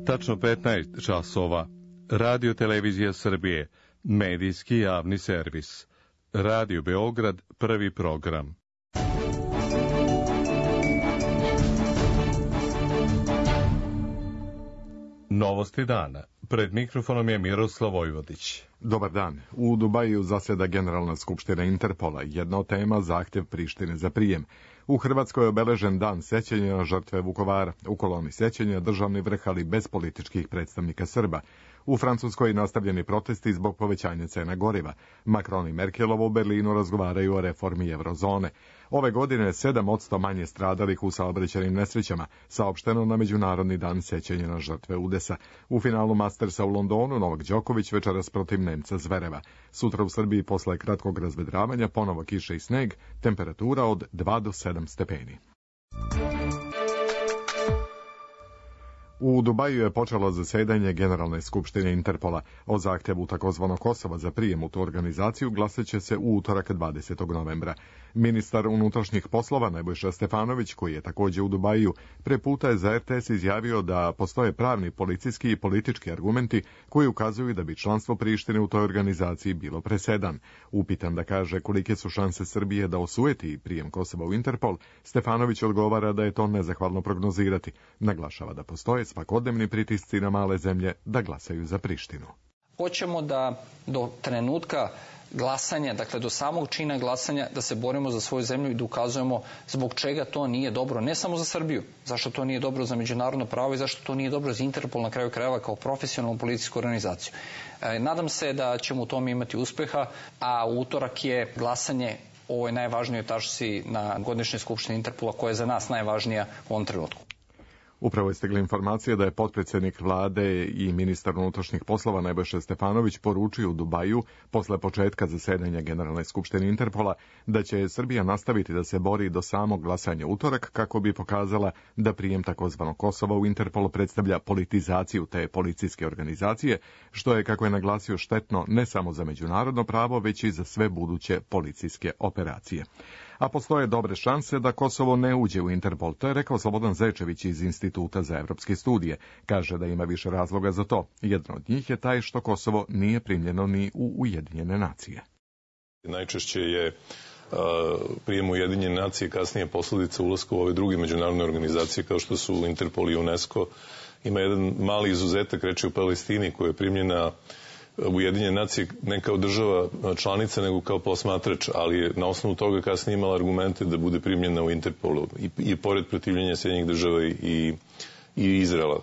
tačno 15 časova. Radio Televizija Srbije, medijski javni servis. Radio Beograd, prvi program. Novosti dana. Pred mikrofonom je Miroslav Vojvodić. Dobar dan. U Dubaju zaseda Generalna skupština Interpola. Jedna od tema zahtjev Prištine za prijem. U Hrvatskoj je obeležen dan sećanja na žrtve Vukovara. U koloni sećanja državni vrh, ali bez političkih predstavnika Srba. U Francuskoj nastavljeni protesti zbog povećanja cena goriva. Macron i Merkelova u Berlinu razgovaraju o reformi eurozone. Ove godine 7% manje stradalih u saobraćajnim nesrećama, saopšteno na Međunarodni dan sećanja na žrtve udesa. U finalu Mastersa u Londonu Novak Đoković večeras protiv Nemca Zvereva. Sutra u Srbiji posle kratkog razvedravanja ponovo kiša i sneg, temperatura od 2 do 7 stepeni. U Dubaju je počelo zasedanje Generalne skupštine Interpola. O zahtjevu takozvanog Kosova za prijem u tu organizaciju glasat će se u utorak 20. novembra. Ministar unutrašnjih poslova Nebojša Stefanović, koji je također u Dubaju, pre puta je za RTS izjavio da postoje pravni, policijski i politički argumenti koji ukazuju da bi članstvo Prištine u toj organizaciji bilo presedan. Upitan da kaže kolike su šanse Srbije da osujeti prijem Kosova u Interpol, Stefanović odgovara da je to nezahvalno prognozirati. Naglašava da postoje svakodnevni pritisci na male zemlje da glasaju za Prištinu. Hoćemo da do trenutka glasanja, dakle do samog čina glasanja, da se borimo za svoju zemlju i da ukazujemo zbog čega to nije dobro, ne samo za Srbiju, zašto to nije dobro za međunarodno pravo i zašto to nije dobro za Interpol na kraju krajeva kao profesionalnu policijsku organizaciju. Nadam se da ćemo u tome imati uspeha, a u utorak je glasanje o ovoj najvažnijoj tačci na godišnjoj skupštini Interpola, koja je za nas najvažnija u ovom trenutku. Upravo je stigla informacija da je potpredsjednik vlade i ministar unutrašnjih poslova Nebojša Stefanović poručio u Dubaju, posle početka zasedanja Generalne skupštine Interpola, da će Srbija nastaviti da se bori do samog glasanja utorak kako bi pokazala da prijem takozvanog Kosova u Interpolu predstavlja politizaciju te policijske organizacije, što je, kako je naglasio, štetno ne samo za međunarodno pravo, već i za sve buduće policijske operacije. A postoje dobre šanse da Kosovo ne uđe u Interpol. To je rekao Slobodan Zečević iz Instituta za evropske studije. Kaže da ima više razloga za to. Jedan od njih je taj što Kosovo nije primljeno ni u Ujedinjene nacije. Najčešće je prijem Ujedinjene nacije kasnije posledica ulaska u ove druge međunarodne organizacije kao što su Interpol i UNESCO. Ima jedan mali izuzetak, reč je u Palestini, koja je primljena Ujedinjene nacije ne kao država članica, nego kao posmatrač, ali je na osnovu toga kasnije imala argumente da bude primljena u Interpolu i pored protivljenja Sjedinjenih država i Izraela.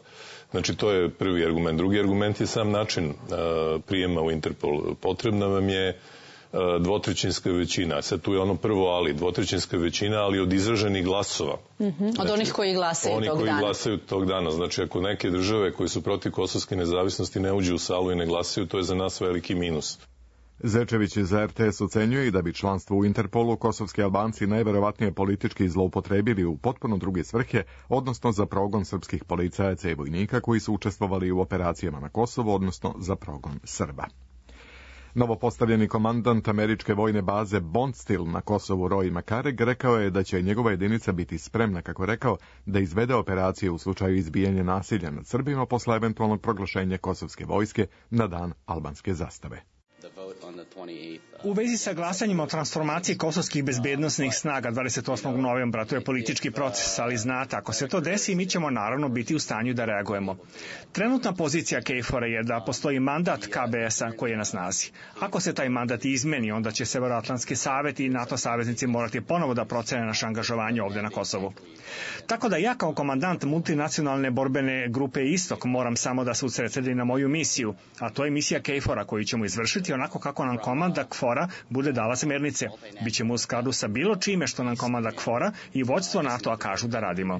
Znači, to je prvi argument. Drugi argument je sam način prijema u Interpol. Potrebna vam je dvotrećinska većina. Sad tu je ono prvo ali, dvotrećinska većina, ali od izraženih glasova. Od onih koji glasaju tog dana. Oni koji glasaju tog dana. Znači, ako neke države koje su protiv kosovske nezavisnosti ne uđu u salu i ne glasaju, to je za nas veliki minus. Zečević za RTS ocenjuje i da bi članstvo u Interpolu kosovski Albanci najverovatnije politički zloupotrebili u potpuno druge svrhe, odnosno za progon srpskih policajaca i vojnika koji su učestvovali u operacijama na Kosovu, odnosno za progon Srba. Novopostavljeni komandant američke vojne baze Bondsteel na Kosovu Roy Makarek rekao je da će njegova jedinica biti spremna, kako je rekao, da izvede operacije u slučaju izbijanja nasilja nad Srbima posle eventualnog proglašenja kosovske vojske na dan albanske zastave. U vezi sa glasanjima o transformaciji kosovskih bezbednosnih snaga 28. novembra, to je politički proces, ali znate, ako se to desi, mi ćemo naravno biti u stanju da reagujemo. Trenutna pozicija KFOR-a je da postoji mandat KBS-a koji je na snazi. Ako se taj mandat izmeni, onda će Severoatlantski savet i NATO saveznici morati ponovo da procene naše angažovanje ovdje na Kosovu. Tako da ja kao komandant multinacionalne borbene grupe Istok moram samo da se usredsredim na moju misiju, a to je misija KFOR-a koju ćemo izvršiti onako kako nam komanda KFOR-a bude dala smernice. Bićemo u skladu sa bilo čime što nam komanda KFOR-a i vođstvo NATO-a kažu da radimo.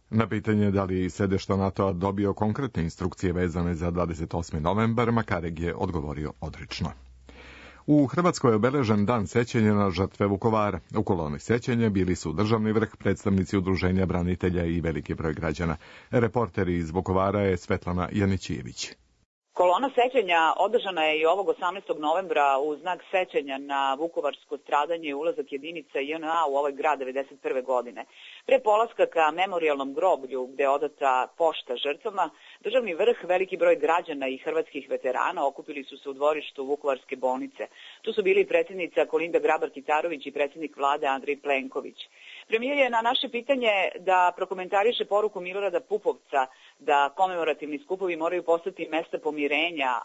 Na pitanje da li sedešte NATO-a dobio konkretne instrukcije vezane za 28. novembar, Makarek je odgovorio odrično. U Hrvatskoj je obeležen dan sećanja na žrtve Vukovara. U koloni sećanja bili su državni vrh, predstavnici udruženja branitelja i veliki broj građana. Reporter iz Vukovara je Svetlana Janićijević. Kolona sećanja održana je i ovog 18. novembra u znak sećanja na vukovarsko stradanje i ulazak jedinica JNA u ovaj grad 1991. godine. Pre polaska ka memorijalnom groblju gde je odata pošta žrtvama, državni vrh, veliki broj građana i hrvatskih veterana okupili su se u dvorištu Vukovarske bolnice. Tu su bili predsjednica Kolinda Grabar-Kitarović i predsjednik vlade Andrej Plenković. Premijer je na naše pitanje da prokomentariše poruku Milorada Pupovca da komemorativni skupovi moraju postati mesta pomirenja,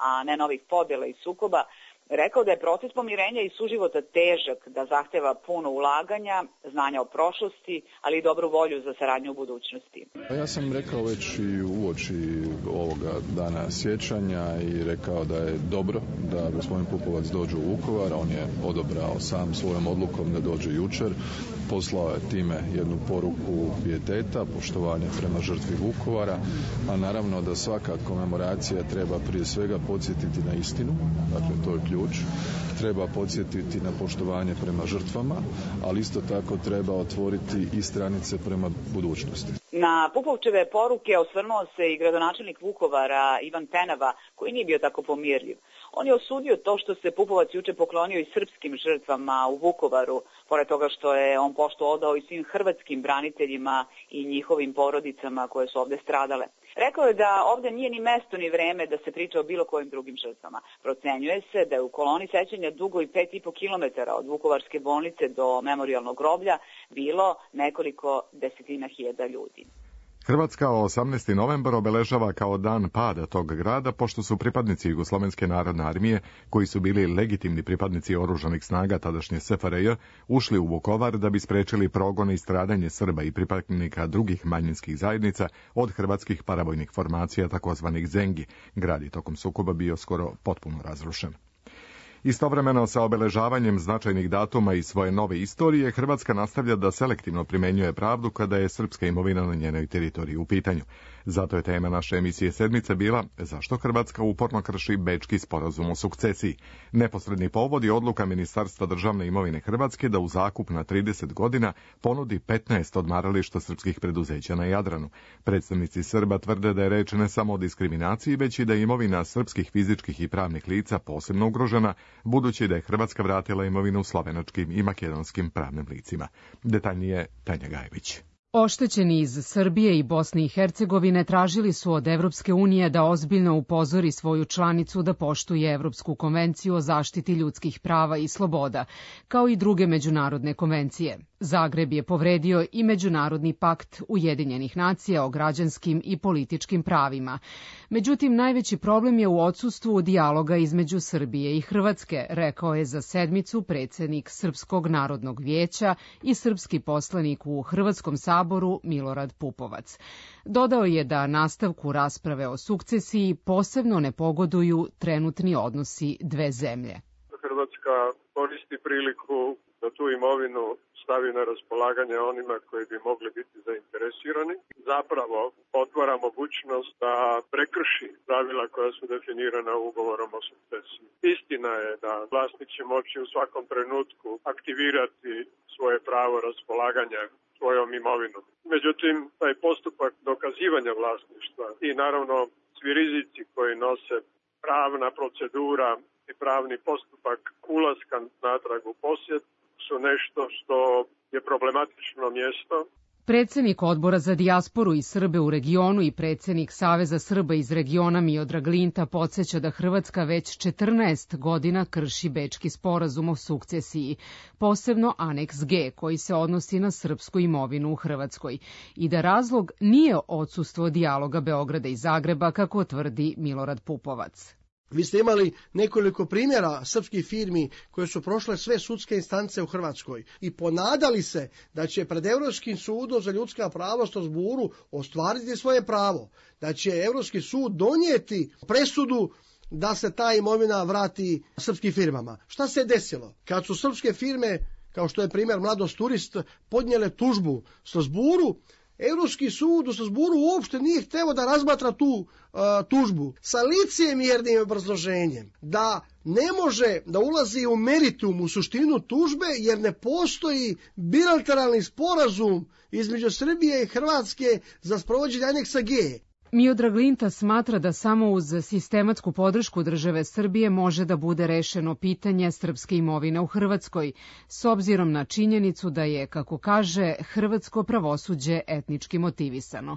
a ne novih podjela i sukoba, rekao da je proces pomirenja i suživota težak, da zahteva puno ulaganja, znanja o prošlosti, ali i dobru volju za saradnju u budućnosti. Ja sam rekao već i uoči ovoga dana sjećanja i rekao da je dobro da gospodin Pupovac dođe u Vukovar. On je odabrao sam svojom odlukom da dođe jučer. Poslao je time jednu poruku pijeteta, poštovanja prema žrtvi Vukovara, a naravno da svaka komemoracija treba prije svega podsjetiti na istinu, dakle to je ključ. Treba podsjetiti na poštovanje prema žrtvama, ali isto tako treba otvoriti i stranice prema budućnosti. Na Pupovčeve poruke osvrnuo se i gradonačelnik Vukovara Ivan Penava, koji nije bio tako pomirljiv. On je osudio to što se Pupovac juče poklonio i srpskim žrtvama u Vukovaru, pored toga što je on poštu odao i svim hrvatskim braniteljima i njihovim porodicama koje su ovde stradale. Rekao je da ovde nije ni mesto ni vreme da se priča o bilo kojim drugim žrtvama. Procenjuje se da je u koloni sećanja dugo i 5,5 kilometara od Vukovarske bolnice do memorijalnog groblja bilo nekoliko desetina hiljada ljudi. Hrvatska 18. novembar obeležava kao dan pada tog grada, pošto su pripadnici Jugoslovenske narodne armije, koji su bili legitimni pripadnici oružanih snaga tadašnje SFRJ, ušli u Vukovar da bi sprečili progon i stradanje Srba i pripadnika drugih manjinskih zajednica od hrvatskih paravojnih formacija, takozvanih Zengi. Grad je tokom sukoba bio skoro potpuno razrušen. Istovremeno sa obeležavanjem značajnih datuma iz svoje nove istorije, Hrvatska nastavlja da selektivno primenjuje pravdu kada je srpska imovina na njenoj teritoriji u pitanju. Zato je tema naše emisije Sedmice bila zašto Hrvatska uporno krši Bečki sporazum o sukcesiji. Neposredni povod je odluka Ministarstva državne imovine Hrvatske da u zakup na 30 godina ponudi 15 odmarališta srpskih preduzeća na Jadranu. Predstavnici Srba tvrde da je reč ne samo o diskriminaciji, već i da je imovina srpskih fizičkih i pravnih lica posebno ugrožena, budući da je Hrvatska vratila imovinu slovenačkim i makedonskim pravnim licima. Detaljnije Tanja Gajević. Oštećeni iz Srbije i Bosne i Hercegovine tražili su od Evropske unije da ozbiljno upozori svoju članicu da poštuje Evropsku konvenciju o zaštiti ljudskih prava i sloboda, kao i druge međunarodne konvencije. Zagreb je povredio i Međunarodni pakt Ujedinjenih nacija o građanskim i političkim pravima. Međutim, najveći problem je u odsustvu dijaloga između Srbije i Hrvatske, rekao je za Sedmicu predsjednik Srpskog narodnog vijeća i srpski poslanik u Hrvatskom saboru Milorad Pupovac. Dodao je da nastavku rasprave o sukcesiji posebno ne pogoduju trenutni odnosi dve zemlje. Hrvatska koristi priliku da tu imovinu stavi na raspolaganje onima koji bi mogli biti zainteresirani. Zapravo otvara mogućnost da prekrši pravila koja su definirana ugovorom o sukcesiji. Istina je da vlasnik će moći u svakom trenutku aktivirati svoje pravo raspolaganja svojom imovinom. Međutim, taj postupak dokazivanja vlasništva i naravno svi rizici koji nose pravna procedura i pravni postupak ulaska natrag u posjed su nešto što je problematično mjesto. Predsjednik Odbora za dijasporu i Srbe u regionu i predsjednik Saveza Srba iz regiona Miodrag Linta podsjeća da Hrvatska već 14 godina krši Bečki sporazum o sukcesiji, posebno aneks G koji se odnosi na srpsku imovinu u Hrvatskoj, i da razlog nije odsustvo dijaloga Beograda i Zagreba, kako tvrdi Milorad Pupovac. Vi ste imali nekoliko primjera srpskih firmi koje su prošle sve sudske instance u Hrvatskoj i ponadali se da će pred Europskim sudom za ljudska prava u Strasburu ostvariti svoje pravo, da će Europski sud donijeti presudu da se ta imovina vrati srpskim firmama. Šta se je desilo? Kad su srpske firme, kao što je primjer Mladost Turist, podnijele tužbu u Strasburu, Europski sud u Strasburu uopšte nije hteo da razmatra tu tužbu sa licemjernim obrazloženjem da ne može da ulazi u meritum, u suštinu tužbe, jer ne postoji bilateralni sporazum između Srbije i Hrvatske za sprovođenje aneksa G. Miodrag Linta smatra da samo uz sistematsku podršku države Srbije može da bude rešeno pitanje srpske imovine u Hrvatskoj, s obzirom na činjenicu da je, kako kaže, hrvatsko pravosuđe etnički motivisano.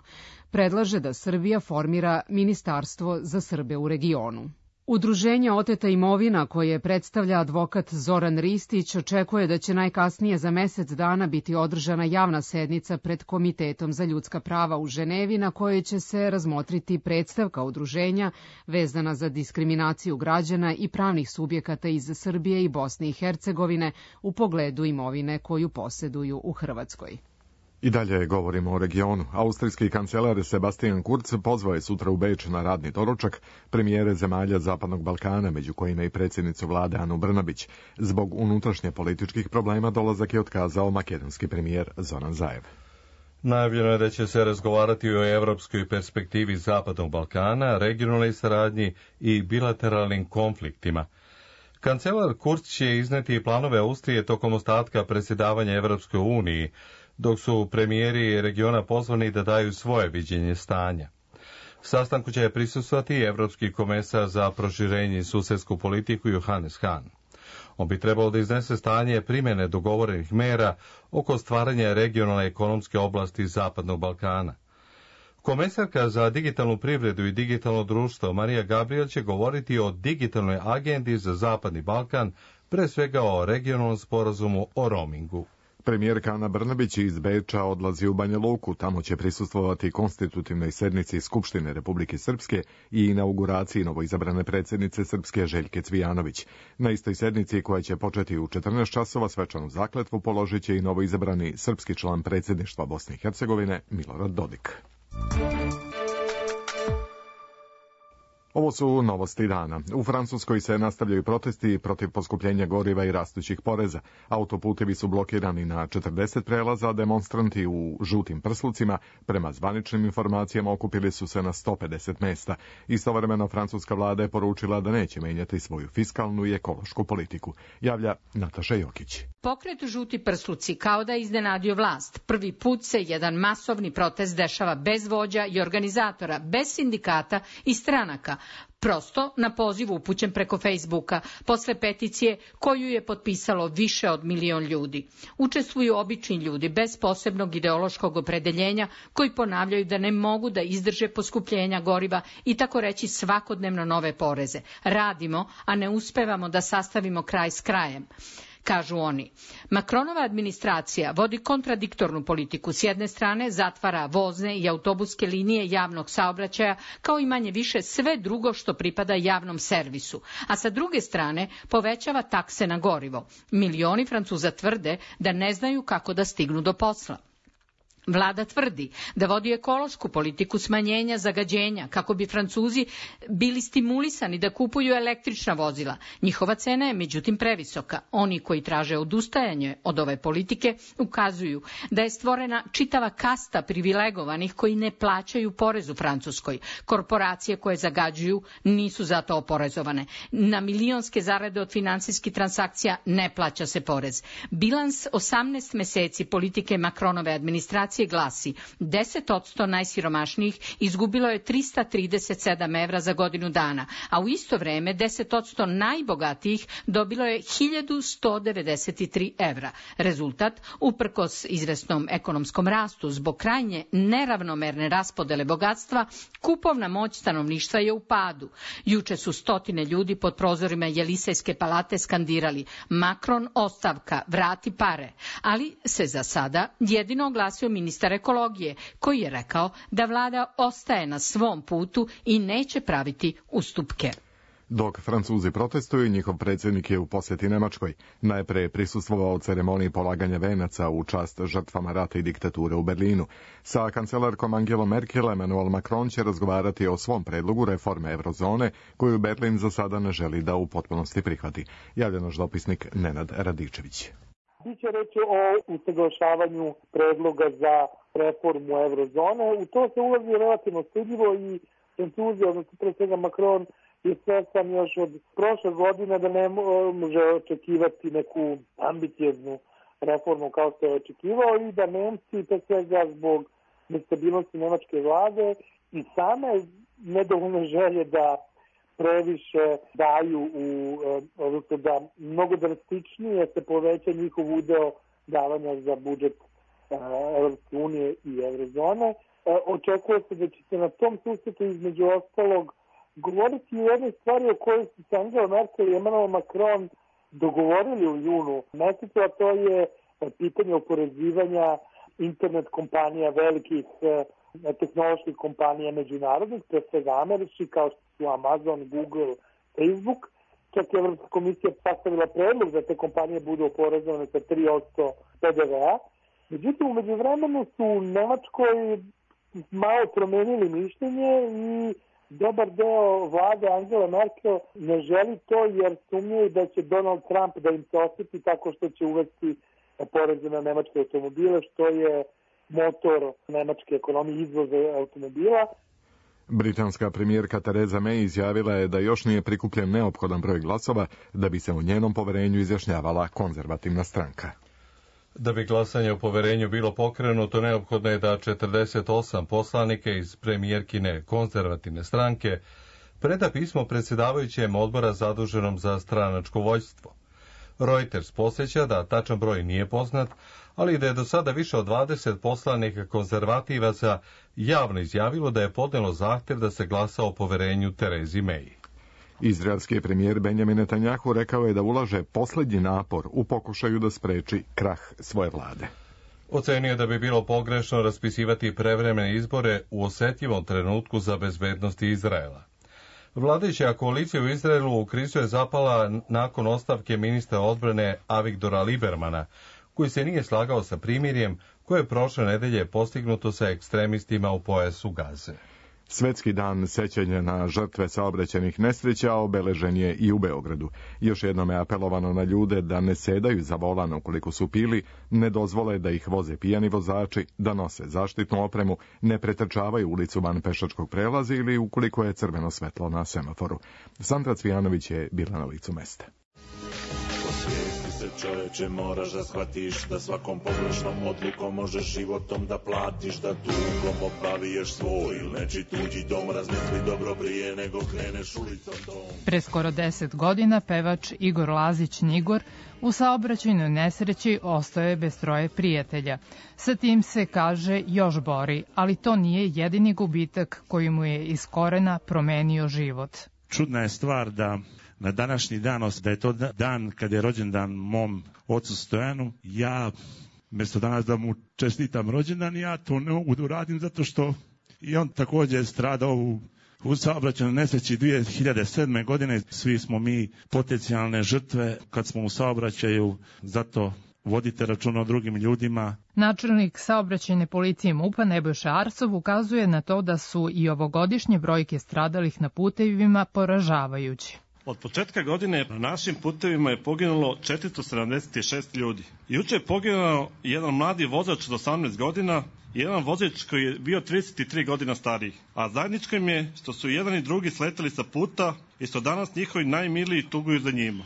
Predlaže da Srbija formira Ministarstvo za Srbe u regionu. Udruženje Oteta imovina, koje predstavlja advokat Zoran Ristić, očekuje da će najkasnije za mesec dana biti održana javna sednica pred Komitetom za ljudska prava u Ženevi, na kojoj će se razmotriti predstavka udruženja vezana za diskriminaciju građana i pravnih subjekata iz Srbije i Bosne i Hercegovine u pogledu imovine koju poseduju u Hrvatskoj. I dalje govorimo o regionu. Austrijski kancelar Sebastian Kurz pozvao je sutra u Beč na radni doručak premijere zemalja Zapadnog Balkana, među kojima i predsjednicu vlade Anu Brnabić. Zbog unutrašnje političkih problema dolazak je otkazao makedonski premijer Zoran Zaev. Najavljeno je da će se razgovarati o evropskoj perspektivi Zapadnog Balkana, regionalnoj saradnji i bilateralnim konfliktima. Kancelar Kurz će izneti planove Austrije tokom ostatka predsjedavanja Evropskoj uniji, dok su premijeri regiona pozvani da daju svoje viđenje stanja. Sastanku će prisustvovati evropski komesar za proširenje i susedsku politiku Johannes Hahn. On bi trebalo da iznese stanje primjene dogovorenih mera oko stvaranja regionalne ekonomske oblasti Zapadnog Balkana. Komesarka za digitalnu privredu i digitalno društvo Marija Gabriel će govoriti o digitalnoj agendi za Zapadni Balkan, pre svega o regionalnom sporazumu o roamingu. Premijerka Ana Brnabić iz Beča odlazi u Banja Luku, tamo će prisustvovati konstitutivnoj sednici Skupštine Republike Srpske i inauguraciji novoizabrane predsjednice Srpske Željke Cvijanović. Na istoj sednici, koja će početi u 14 časova, svečanu zakletvu položit će i novoizabrani srpski član predsjedništva Bosne i Hercegovine Milorad Dodik. Ovo su novosti dana. U Francuskoj se nastavljaju protesti protiv poskupljenja goriva i rastućih poreza. Autoputevi su blokirani na 40 prelaza, demonstranti u žutim prslucima, prema zvaničnim informacijama, okupili su se na 150 mesta. Istovremeno francuska vlada je poručila da neće menjati svoju fiskalnu i ekološku politiku. Javlja Nataša Jokić. Pokret žuti prsluci kao da je iznenadio vlast. Prvi put se jedan masovni protest dešava bez vođa i organizatora, bez sindikata i stranaka. Prosto na poziv upućen preko Facebooka, posle peticije koju je potpisalo više od 1 milion ljudi. Učestvuju obični ljudi bez posebnog ideološkog opredeljenja, koji ponavljaju da ne mogu da izdrže poskupljenja goriva i tako reći svakodnevno nove poreze. Radimo, a ne uspevamo da sastavimo kraj s krajem. Kažu oni. Macronova administracija vodi kontradiktornu politiku. S jedne strane zatvara vozne i autobuske linije javnog saobraćaja, kao i manje više sve drugo što pripada javnom servisu. A sa druge strane povećava takse na gorivo. Milioni Francuza tvrde da ne znaju kako da stignu do posla. Vlada tvrdi da vodi ekološku politiku smanjenja zagađenja kako bi Francuzi bili stimulisani da kupuju električna vozila. Njihova cena je međutim previsoka. Oni koji traže odustajanje od ove politike ukazuju da je stvorena čitava kasta privilegovanih koji ne plaćaju porez u Francuskoj. Korporacije koje zagađuju nisu zato oporezovane. Na milionske zarade od finansijskih transakcija ne plaća se porez. Bilans 18 meseci politike Macronove administracije glasi 10% najsiromašnijih izgubilo je 337 evra za godinu dana, a u isto vreme 10% najbogatijih dobilo je 1193 evra. Rezultat, uprkos izvesnom ekonomskom rastu zbog krajnje neravnomerne raspodele bogatstva, kupovna moć stanovništva je u padu. Juče su stotine ljudi pod prozorima Jelisejske palate skandirali Macron ostavka, vrati pare, ali se za sada jedino oglasio ministar ekologije, koji je rekao da vlada ostaje na svom putu i neće praviti ustupke. Dok Francuzi protestuju, njihov predsjednik je u posjeti Nemačkoj. Najpre je prisustvovao ceremoniji polaganja venaca u čast žrtvama rata i diktature u Berlinu. Sa kancelarkom Angelom Merkel, Emmanuel Macron će razgovarati o svom predlogu reforme eurozone, koju Berlin za sada ne želi da u potpunosti prihvati. Javlja naš dopisnik Nenad Radičević. Biće reći o usaglašavanju predloga za reformu eurozone. U to se ulazi relativno stidljivo i Francuzi, odnosno pre svega Macron, je svestan još od prošle godine da ne može očekivati neku ambicioznu reformu kao što je očekivao i da Nemci, pre svega zbog nestabilnosti nemačke vlade i same nedovoljne želje da previše daju, odnosno da mnogo drastičnije se poveća njihov udeo davanja za budžet Evropske unije i Eurozone. Očekuje se da će se na tom susretu između ostalog govoriti o jednoj stvari o kojoj su se Angela Merkel i Emmanuel Macron dogovorili u junu mesecu, a to je pitanje oporezivanja internet kompanija, velikih tehnoloških kompanija međunarodnih, pre svega američkih, kao što su Amazon, Google, Facebook. Čak je Evropska komisija sastavila predlog da te kompanije budu oporezovane sa 3% PDV-a. Međutim, u međuvremenu su u Nemačkoj malo promenili mišljenje i dobar deo vlade Angela Merkel ne želi to jer sumnjaju da će Donald Trump da im se osjeti tako što će uvesti poreze na nemačke automobile, što je motor nemačke ekonomije, izvoza automobila. Britanska premijerka Theresa May izjavila je da još nije prikupljen neophodan broj glasova da bi se o njenom poverenju izjašnjavala konzervativna stranka. Da bi glasanje o poverenju bilo pokrenuto, neophodno je da 48 poslanika iz premijerkine konzervativne stranke preda pismo predsjedavajućem odbora zaduženom za stranačko vođstvo. Reuters podsjeća da tačan broj nije poznat, ali da je do sada više od 20 poslanika konzervativaca javno izjavilo da je podnelo zahtev da se glasa o poverenju Theresi May. Izraelski premijer Benjamin Netanjahu rekao je da ulaže posljednji napor u pokušaju da spreči krah svoje vlade. Ocenio da bi bilo pogrešno raspisivati prevremene izbore u osjetljivom trenutku za bezbednost Izraela. Vladajuća koalicija u Izraelu u krizu je zapala nakon ostavke ministra odbrane Avigdora Liebermana, koji se nije slagao sa primirjem koje je prošle nedelje postignuto sa ekstremistima u pojasu Gaze. Svetski dan sećanja na žrtve saobraćajnih nesreća obeležen je i u Beogradu. Još jednom je apelovano na ljude da ne sedaju za volan ukoliko su pili, ne dozvole da ih voze pijani vozači, da nose zaštitnu opremu, ne pretrčavaju ulicu van pešačkog prelaza ili ukoliko je crveno svetlo na semaforu. Sandra Cvijanović je bila na licu mesta. Čoveče, moraš da shvatiš da svakom pogrešnom odlukom možeš životom da platiš, da dugom obaviješ svoj ili neči tuđi dom, razmisli dobro prije nego kreneš ulicom dom. Pre skoro 10 godina pevač Igor Lazić Nigor u saobraćajnoj nesreći ostao je bez troje prijatelja. Sa tim se, kaže, još bori, ali to nije jedini gubitak koji mu je iz korena promenio život. Čudna je stvar da na današnji dan, da je to dan kad je rođendan mom ocu Stojanu, ja, mjesto danas da mu čestitam rođendan, ja to ne mogu da uradim zato što i on također stradao u saobraćajnoj nesreći 2007. godine. Svi smo mi potencijalne žrtve kad smo u saobraćaju, zato vodite računa o drugim ljudima. Načelnik saobraćajne policije MUP-a Nebojša Arsov ukazuje na to da su i ovogodišnje brojke stradalih na putevima poražavajući. Od početka godine na našim putevima je poginulo 476 ljudi. Juče je poginuo jedan mladi vozač od 18 godina i jedan vozač koji je bio 33 godina stariji. A zajedničko im je što su jedan i drugi sleteli sa puta i što danas njihovi najmiliji tuguju za njima.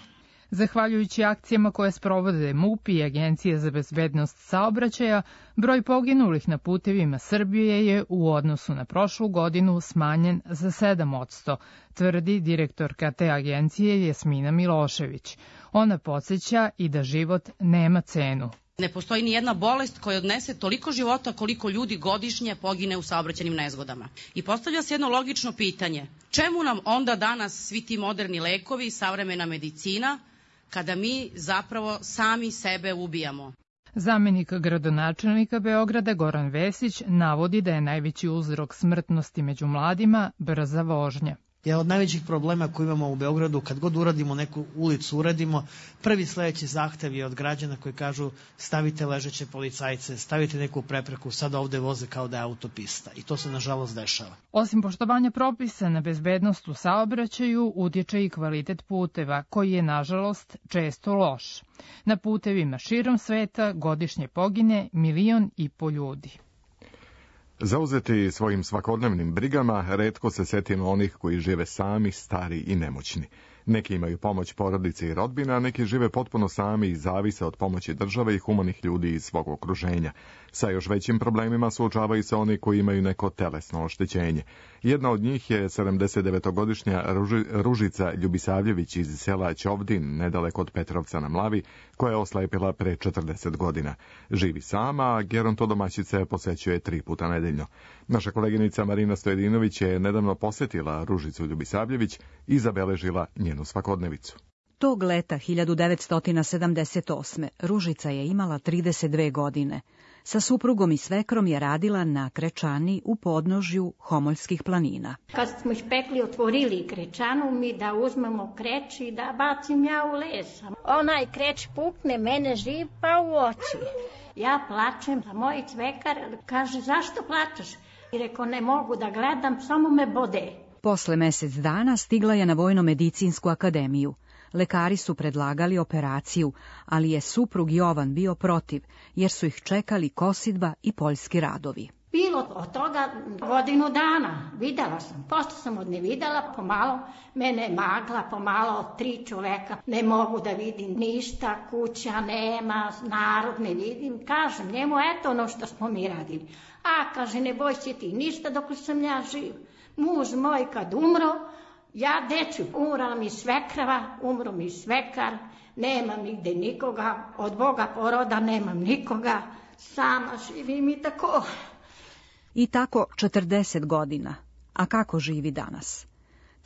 Zahvaljujući akcijama koje sprovode MUP i Agencija za bezbednost saobraćaja, broj poginulih na putevima Srbije je u odnosu na prošlu godinu smanjen za 7%, tvrdi direktorka te agencije Jasmina Milošević. Ona podsjeća i da život nema cenu. Ne postoji ni jedna bolest koja odnese toliko života koliko ljudi godišnje pogine u saobraćajnim nezgodama. I postavlja se jedno logično pitanje. Čemu nam onda danas svi ti moderni lekovi, savremena medicina, kada mi zapravo sami sebe ubijamo? Zamenik gradonačelnika Beograda Goran Vesić navodi da je najveći uzrok smrtnosti među mladima brza vožnja. Jedan od najvećih problema koji imamo u Beogradu, kad god uradimo neku ulicu, prvi sledeći zahtev je od građana koji kažu stavite ležeće policajce, stavite neku prepreku, sad ovde voze kao da je autopista. I to se nažalost dešava. Osim poštovanja propisa na bezbednost u saobraćaju, utječe i kvalitet puteva, koji je nažalost često loš. Na putevima širom sveta godišnje pogine 1,5 miliona ljudi. Zauzeti svojim svakodnevnim brigama, retko se setimo onih koji žive sami, stari i nemoćni. Neki imaju pomoć porodice i rodbine, a neki žive potpuno sami i zavise od pomoći države i humanih ljudi iz svog okruženja. Sa još većim problemima suočavaju se oni koji imaju neko telesno oštećenje. Jedna od njih je 79-godišnja Ružica Ljubisavljević iz sela Ćovdin, nedaleko od Petrovca na Mlavi, koja je oslepila pre 40 godina. Živi sama, a gerontodomaćica je posećuje 3 puta nedeljno. Naša koleginica Marina Stojedinović je nedavno posetila Ružicu Ljubisavljević i zabeležila njenu svakodnevicu. Tog leta 1978. Ružica je imala 32 godine. Sa suprugom i svekrom je radila na krečani u podnožju Homoljskih planina. Kad smo išpekli, otvorili krečanu, mi da uzmemo kreč i da bacim ja u les. Onaj kreč pukne, mene žipa u oči. Ja plačem, a moj cvekar kaže, zašto plačeš? I rekao, ne mogu da gledam, samo me bode. Posle mesec dana stigla je na Vojno-medicinsku akademiju. Lekari su predlagali operaciju, ali je suprug Jovan bio protiv, jer su ih čekali kosidba i poljski radovi. Bilo od toga godinu dana, videla sam, pošto sam od ne videla, pomalo mene magla, pomalo 3 čoveka, ne mogu da vidim ništa, kuća nema, narod ne vidim, kažem njemu, eto ono što smo mi radili. A, kaže, ne boj se ti ništa dok sam ja živ. Muž moj kad umro, ja deću, umrala mi svekrava, umro mi svekar, nemam nigde nikoga, od Boga poroda nemam nikoga, sama živim i tako. I tako 40 godina. A kako živi danas?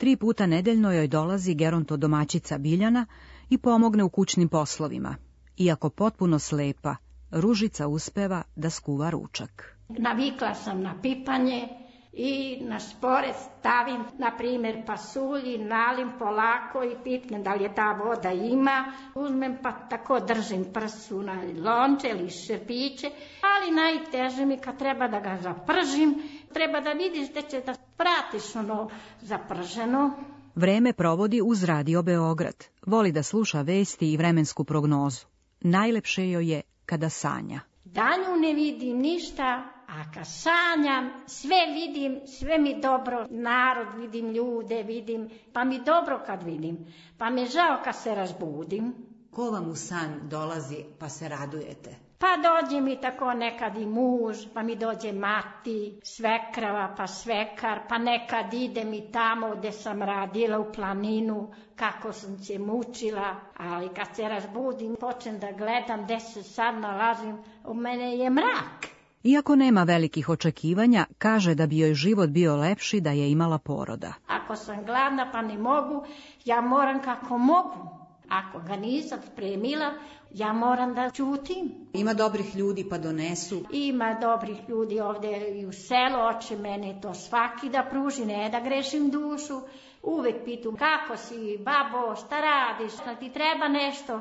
3 puta nedeljno joj dolazi gerontodomaćica Biljana i pomogne u kućnim poslovima. Iako potpuno slepa, Ružica uspeva da skuva ručak. Navikla sam na pipanje i na šporet stavim, na primjer, pasulji, nalim polako i pipnem da li je ta voda ima. Uzmem pa tako držim prsu na lonče ili šerpiće, ali najteže mi kad treba da ga zapržim, treba da vidiš da će da pratiš ono zaprženo. Vreme provodi uz Radio Beograd. Voli da sluša vesti i vremensku prognozu. Najlepše joj je kada sanja. Danju ne vidim ništa, a kad sanjam, sve vidim, sve mi dobro, narod vidim, ljude vidim, pa mi dobro kad vidim, pa mi žao kad se razbudim. Ko vam u san dolazi pa se radujete? Pa dođe mi tako nekad i muž, pa mi dođe mati, svekrava, pa svekar, pa nekad ide mi tamo gde sam radila u planinu, kako sam se mučila, ali kad se razbudim, počnem da gledam gde se sad nalazim, u mene je mrak. Iako nema velikih očekivanja, kaže da bi joj život bio lepši da je imala poroda. Ako sam gladna pa ne mogu, ja moram kako mogu. Ako ga nisam spremila, ja moram da ćutim. Ima dobrih ljudi pa donesu. Ima dobrih ljudi ovde i u selu, oče mene to svaki da pruži, ne da grešim dušu. Uvek pitam kako si, babo, šta radiš, ti treba nešto.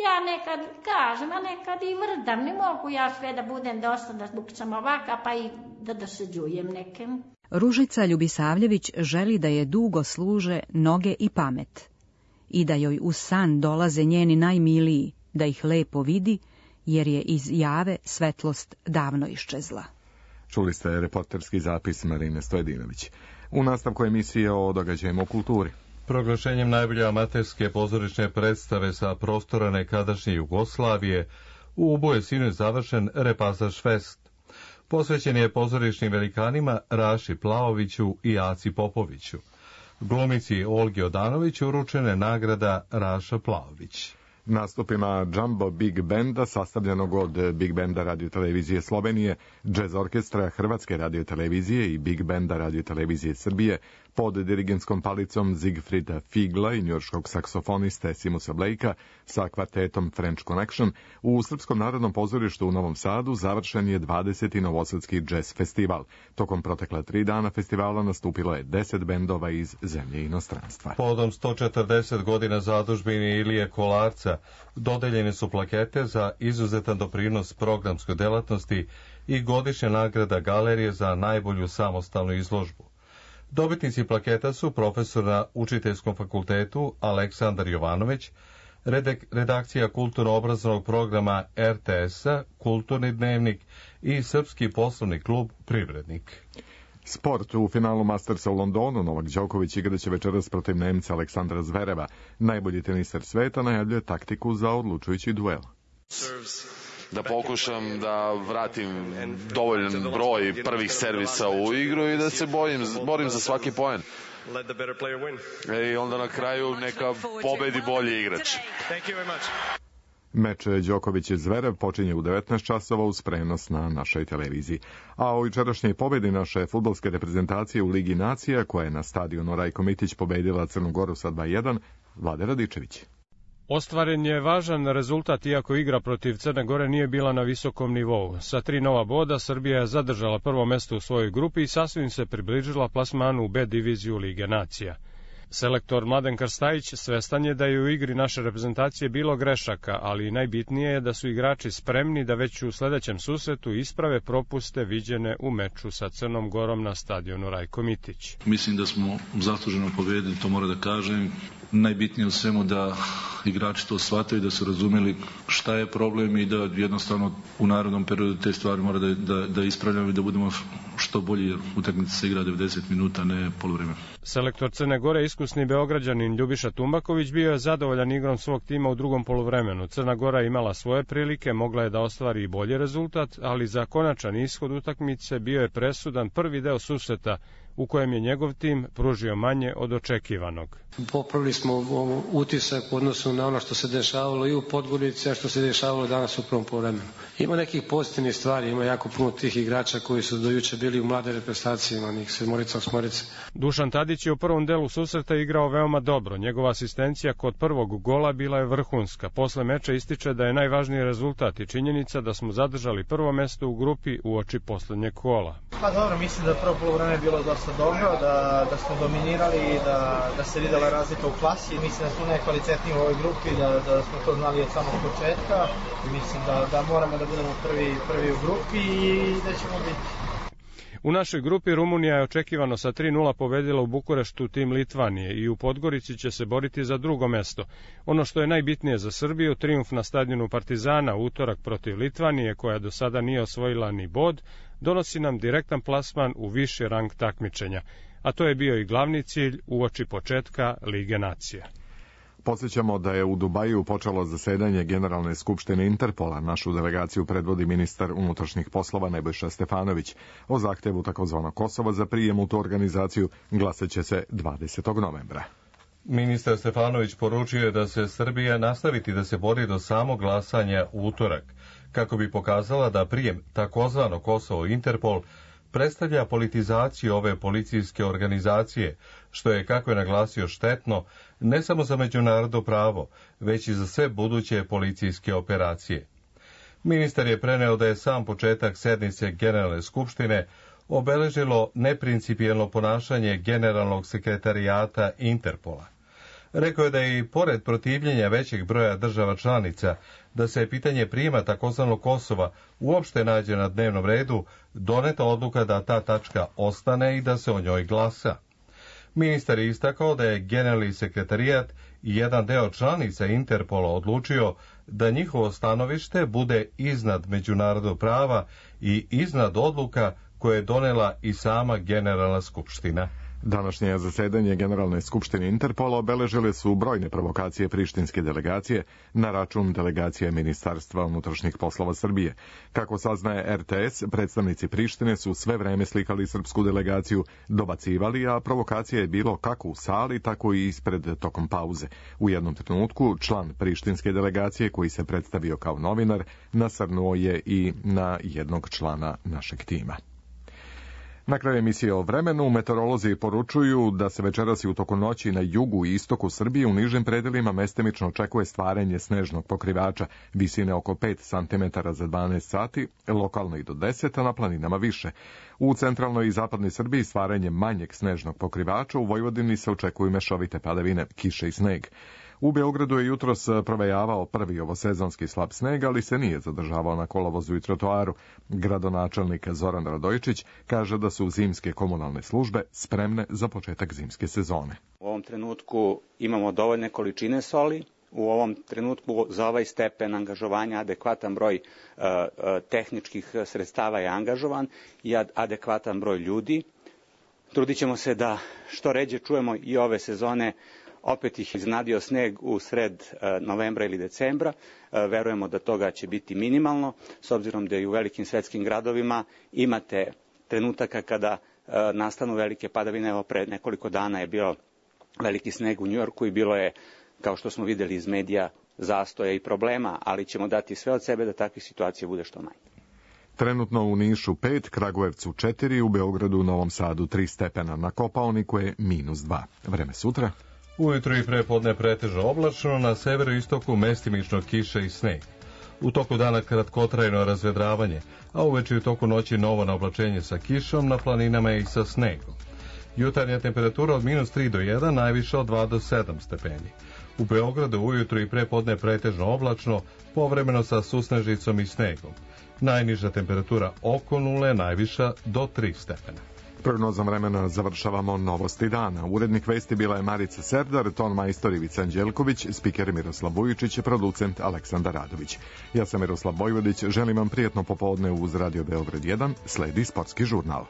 Ja nekad kažem, a nekad i vrdam, ne mogu ja sve da budem dosadna zbog sam ovaka, pa i da dosađujem nekem. Ružica Ljubisavljević želi da je dugo služe noge i pamet. I da joj u san dolaze njeni najmiliji, da ih lepo vidi, jer je iz jave svetlost davno iščezla. Čuli ste reporterski zapis Marine Stojedinović. U nastavku emisije o događajima u kulturi. Proglašenjem najbolje amaterske pozorišne predstave sa prostora nekadašnje Jugoslavije, u Ubu je sinoć završen Repasaž Fest. Posvećen je pozorišnim velikanima Raši Plaoviću i Aci Popoviću. Glumici Olgi Odanović uručene nagrada Raša Plaović. Nastupima Jumbo Big Benda, sastavljenog od Big Benda radiotelevizije Slovenije, Jazz Orkestra Hrvatske radiotelevizije i Big Benda radiotelevizije Srbije, pod dirigentskom palicom Siegfrieda Figla i njujorškog saksofoniste Simusa Blakea sa kvartetom French Connection, u Srpskom narodnom pozorištu u Novom Sadu završen je 20. Novosadski jazz festival. Tokom protekla 3 dana festivala nastupilo je 10 bendova iz zemlje i inostranstva. Podom 140 godina zadužbine Ilije Kolarca dodeljene su plakete za izuzetan doprinos programskoj delatnosti i godišnja nagrada galerije za najbolju samostalnu izložbu. Dobitnici plaketa su profesor na Učiteljskom fakultetu Aleksandar Jovanović, redakcija kulturno-obrazovnog programa RTS-a, Kulturni dnevnik i Srpski poslovni klub Privrednik. Sport. U finalu Mastersa u Londonu Novak Đoković igraće večeras protiv Nemca Aleksandra Zvereva. Najbolji teniser sveta najavljuje taktiku za odlučujući duel. Da pokušam da vratim dovoljan broj prvih servisa u igru i da se borim za svaki poen. I onda na kraju neka pobedi bolji igrač. Meč Đoković i Zverev počinje u 19 časova uz prenos na našoj televiziji. A o jučerašnjoj pobedi naše fudbalske reprezentacije u Ligi nacija, koja je na stadionu Rajko Mitić pobedila Crnu Goru sa 2:1, Vlade Radičević. Ostvaren je važan rezultat, iako igra protiv Crne Gore nije bila na visokom nivou. Sa 3 nova boda Srbija je zadržala prvo mesto u svojoj grupi i sasvim se približila plasmanu u B diviziju Lige nacija. Selektor Mladen Krstajić svestan je da je u igri naše reprezentacije bilo grešaka, ali najbitnije je da su igrači spremni da već u sledećem susretu isprave propuste viđene u meču sa Crnom Gorom na stadionu Rajko Mitić. Mislim da smo zasluženo pobedili, to moram da kažem. Najbitnije u svemu da igrači to shvataju, da su razumeli šta je problem i da jednostavno u narednom periodu te stvari mora da ispravljamo i da budemo što bolji, jer utakmica se igra 90 minuta, ne poluvreme. Selektor Crne Gore, iskusni Beograđanin Ljubiša Tumbaković, bio je zadovoljan igrom svog tima u drugom poluvremenu. Crna Gora je imala svoje prilike, mogla je da ostvari i bolji rezultat, ali za konačan ishod utakmice bio je presudan prvi deo susreta u kojem je njegov tim pružio manje od očekivanog. Popravili smo utisak u odnosu na ono što se dešavalo i u Podgorici, a što se dešavalo danas u prvom poluvremenu. Ima nekih pozitivnih stvari, ima jako puno tih igrača koji su do juče bili u mlade reprezentacije, ima njih 7-8. Dušan Tadić je u prvom delu susreta igrao veoma dobro. Njegova asistencija kod prvog gola bila je vrhunska. Posle meča ističe da je najvažniji rezultat i činjenica da smo zadržali prvo mesto u grupi uoči poslednjeg kola. Pa dobro, mislim da prvo poluvreme je bilo dosta dobro, da smo dominirali i da se videla razlika u klasi. Mislim da smo najkvalitetniji u ovoj grupi, da smo to znali od samog početka. Mislim da moramo da budemo prvi u grupi i da ćemo biti. U našoj grupi Rumunija je očekivano sa 3:0 pobedila u Bukureštu tim Litvanije i u Podgorici će se boriti za drugo mesto. Ono što je najbitnije za Srbiju, trijumf na stadionu Partizana u utorak protiv Litvanije, koja do sada nije osvojila ni bod, donosi nam direktan plasman u viši rang takmičenja, a to je bio i glavni cilj uoči početka Lige nacija. Podsjećamo da je u Dubaju počelo zasedanje Generalne skupštine Interpola. Našu delegaciju predvodi ministar unutrašnjih poslova Nebojša Stefanović. O zahtevu takozvanog Kosova za prijem u tu organizaciju glasaće se 20. novembra. Ministar Stefanović poručio je da se Srbija nastaviti da se bori do samog glasanja u utorak, kako bi pokazala da prijem takozvano Kosovo Interpol predstavlja politizaciju ove policijske organizacije, što je, kako je naglasio, štetno ne samo za međunarodno pravo, već i za sve buduće policijske operacije. Ministar je preneo da je sam početak sednice Generalne skupštine obeležilo neprincipijelno ponašanje Generalnog sekretarijata Interpola. Rekao je da je i pored protivljenja većeg broja država članica da se pitanje prijema takozvanog Kosova uopšte nađe na dnevnom redu, doneta odluka da ta tačka ostane i da se o njoj glasa. Ministar je istakao da je Generalni sekretarijat i jedan deo članica Interpola odlučio da njihovo stanovište bude iznad međunarodnog prava i iznad odluka koje je donela i sama Generalna skupština. Današnje zasedanje Generalne skupštine Interpola obeležile su brojne provokacije prištinske delegacije na račun delegacije Ministarstva unutrašnjih poslova Srbije. Kako saznaje RTS, predstavnici Prištine su sve vreme slikali srpsku delegaciju, dobacivali, a provokacija je bilo kako u sali, tako i ispred tokom pauze. U jednom trenutku član prištinske delegacije, koji se predstavio kao novinar, nasrnuo je i na jednog člana našeg tima. Na kraju emisije o vremenu, meteorolozi poručuju da se večeras i u toku noći na jugu i istoku Srbije u nižim predelima mestimično očekuje stvaranje snežnog pokrivača, visine oko 5 cm za 12 sati, lokalno i do 10, a na planinama više. U centralnoj i zapadnoj Srbiji stvaranje manjeg snežnog pokrivača, u Vojvodini se očekuju mešovite padavine, kiše i sneg. U Beogradu je jutros provejavao prvi ovosezonski slab sneg, ali se nije zadržavao na kolovozu i trotoaru. Gradonačelnik Zoran Radojičić kaže da su zimske komunalne službe spremne za početak zimske sezone. U ovom trenutku imamo dovoljne količine soli, u ovom trenutku za ovaj stepen angažovanja adekvatan broj tehničkih sredstava je angažovan i adekvatan broj ljudi. Trudit ćemo se da što ređe čujemo i ove sezone. Opet ih iznenadio sneg u sred novembra ili decembra. Verujemo da toga će biti minimalno, s obzirom da i u velikim svetskim gradovima imate trenutaka kada nastanu velike padavine. Evo, pre nekoliko dana je bio veliki sneg u Njujorku i bilo je, kao što smo videli iz medija, zastoja i problema, ali ćemo dati sve od sebe da takvih situacija bude što manje. Trenutno u Nišu 5, Kragujevcu 4, u Beogradu, Novom Sadu 3 stepena, na Kopaoniku je -2. Vreme sutra? Ujutro i prepodne pretežno oblačno, na severu i istoku mestimično kiša i sneg. U toku dana kratkotrajno razvedravanje, a uveče i u toku noći novo naoblačenje sa kišom, na planinama i sa snegom. Jutarnja temperatura od -3 do 1, najviša od 2 do 7 stepeni. U Beogradu ujutro i prepodne pretežno oblačno, povremeno sa susnežicom i snegom. Najniža temperatura oko 0, najviša do 3 stepena. Prognozom vremena završavamo novosti dana. Urednik vesti bila je Marica Serdar, ton majstor Ivica Anđelković, spiker Miroslav Vujičić, producent Aleksandar Radović. Ja sam Miroslav Vojvodić, želim vam prijetno popodne uz Radio Beograd 1, sledi sportski žurnal.